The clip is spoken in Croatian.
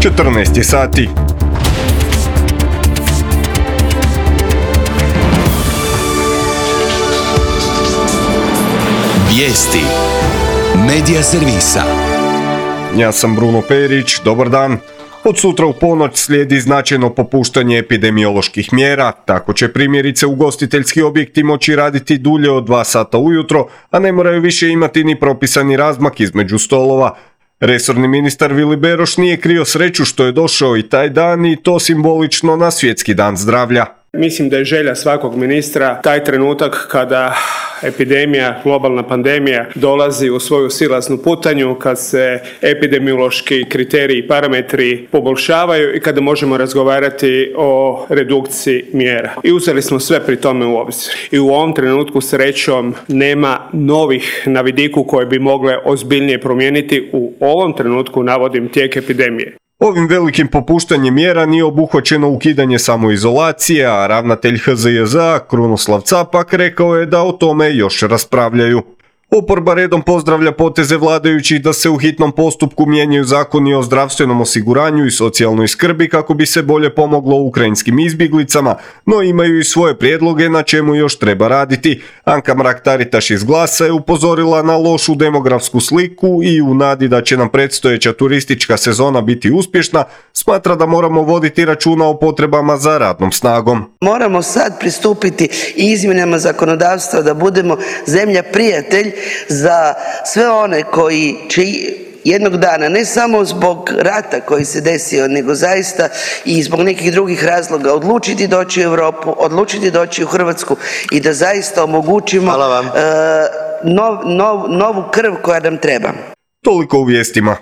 14 je sati. Vijesti Medija servisa. Ja sam Bruno Perić, dobar dan. Od sutra u ponoć slijedi značajno popuštanje epidemioloških mjera, tako će primjerice ugostiteljski objekti moći raditi dulje od 2 sata ujutro, a ne moraju više imati ni propisani razmak između stolova. Resorni ministar Vili Beroš nije krio sreću što je došao i taj dan i to simbolično na Svjetski dan zdravlja. Mislim da je želja svakog ministra taj trenutak kada epidemija, globalna pandemija dolazi u svoju silaznu putanju, kad se epidemiološki kriteriji i parametri poboljšavaju i kada možemo razgovarati o redukciji mjera. I uzeli smo sve pri tome u obzir. I u ovom trenutku srećom nema novih na vidiku koje bi mogle ozbiljnije promijeniti. U ovom trenutku navodim tijek epidemije. Ovim velikim popuštanjem mjera nije obuhvaćeno ukidanje samoizolacije, a ravnatelj HZJZ Krunoslav Capak rekao je da o tome još raspravljaju. Oporba redom pozdravlja poteze vladajućih da se u hitnom postupku mijenjaju zakoni o zdravstvenom osiguranju i socijalnoj skrbi kako bi se bolje pomoglo ukrajinskim izbjeglicama, no imaju i svoje prijedloge na čemu još treba raditi. Anka Mrak-Taritaš iz Glasa je upozorila na lošu demografsku sliku i u nadi da će nam predstojeća turistička sezona biti uspješna, smatra da moramo voditi računa o potrebama za radnom snagom. Moramo sad pristupiti izmjenama zakonodavstva da budemo zemlja prijatelj za sve one koji će jednog dana, ne samo zbog rata koji se desio, nego zaista i zbog nekih drugih razloga odlučiti doći u Europu, odlučiti doći u Hrvatsku i da zaista omogućimo novu krv koja nam treba. Toliko u vijestima.